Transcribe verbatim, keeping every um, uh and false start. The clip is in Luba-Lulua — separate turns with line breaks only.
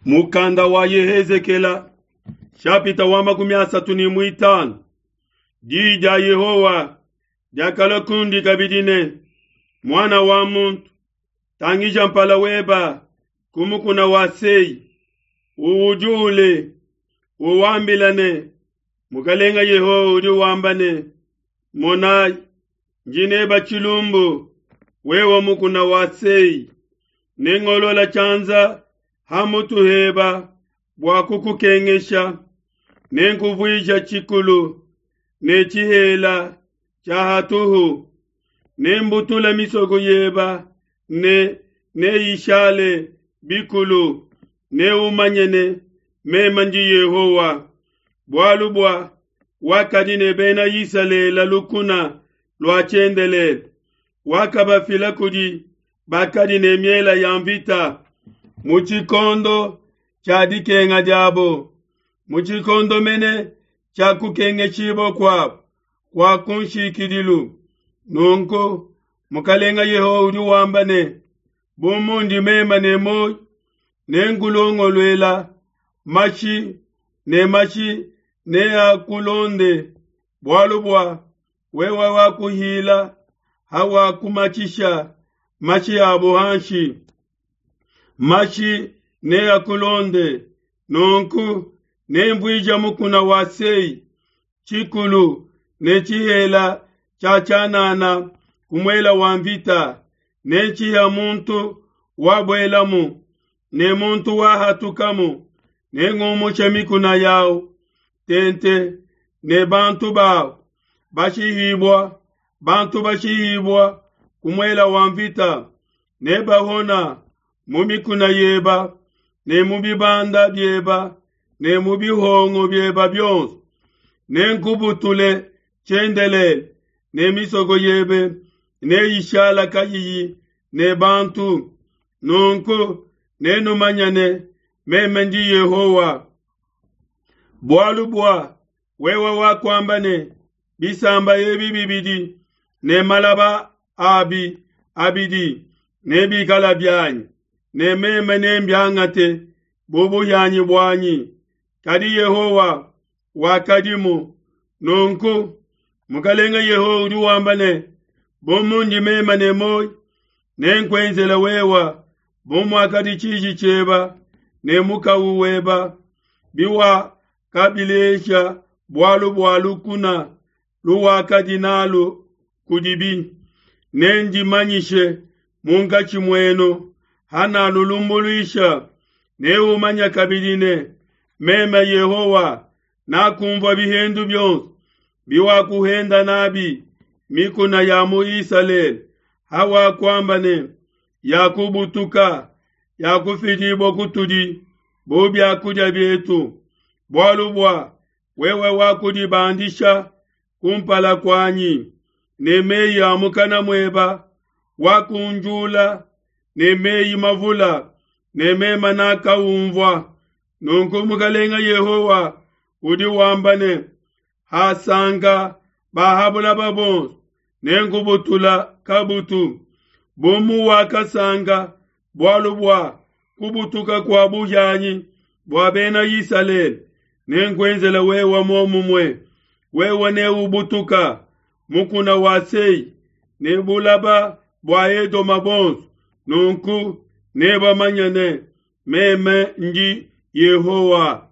Mukanda wa Yehezekela shapita wa makumi asatu ne muitanu. Diyi dia Yehowa diakalua kundi kabidi ne, Muana wa muntu, tangija mpala weba ku mukuna wa Sei, uwujule, uwambila ne, Mukalenga Yehowa udi wamba ne, Monayi, ndi neba tshilumbu, wewe mukuna wa Sei, nengolola tshianza ha mutu heba bua kukukengesha, nenkuvuija tshikulu ne tshihela tshia hatuhu, nembutula misoko yeba ne neyishale bikulu, neumanye ne meme ndi Yehowa. Bualu bua wakadi ne Bena Isalele lukuna lua tshiendelele, wakabafila kudi bakadi ne miela ya mvita mu tshikondo tshia dikenga diabo, mu tshikondo mene tshia kukengeshibua kuabo kua kunshikidilu. Nunku Mukalenga Yehowa udi wamba ne, bu mundi meme ne muoyo, nenkulongoluela mashi ne mashi neakulonde, bualu bua wewe wakuhila hawakumatshisha mashi abo hanshi, mashi neakulonde. Nunku nemvuije mukuna wa Sei tshikulu ne tshihela tshia tshianana ku muela wa mvita, nenshiha muntu wabuelamu ne muntu wahatukamu, nengumushe mikuna yawu tente ne bantu bawu bashihibua, bantu bashihibua ku muela wa mvita, nebahona mu mikuna yeba ne mu bibanda bieba ne mu bihongo bieba bionso. Nenkubutule tshiendelele ne misoko yebe neyishala kayiyi ne bantu. Nunku nenumanye ne meme ndi Yehowa. Bualu bua wewe wakuamba ne, bisamba ebi bibidi ne malaba abi abidi nebikala bianyi, ne meme nembiangate bu buhianyi buanyi. Kadi Yehowa wakadimu. Nunku Mukalenga Yehowa udi wamba ne, bu mundi meme ne muoyo, nenkuenzele wewe bu muakadi tshiji tshieba ne mukawu weba biwakabilesha bualu bua lukuna luwakadi nalu kudibi. Nendimanyishe munkatshi muenu hanalulumbuluisha, neumanya kabidi ne meme Yehowa nakumvua bihendu bionso biwakuhenda nabi mikuna ya mu Isalele, hawakuamba ne, yakubutuka, yakufidibua kutudi bu biakudia bietu. Bualu bua wewe wakudibandisha kumpala kuanyi ne meyi a mukana mueba, wakunjula ne meyi mavula, ne meme nakaumvua. Nunku Mukalenga Yehowa udi wamba ne, hasanka bahabulaba bonso, nenkubutula kabutu. Bu muwakasanka bualu bua kubutuka kua buhianyi bua Bena Isalele, nenkuenzele wewe muomumue. Wewe neubutuka mukuna wa Sei ne bulaba bua Edoma bonso. Nunku nebamanye ne meme ndi Yehowa.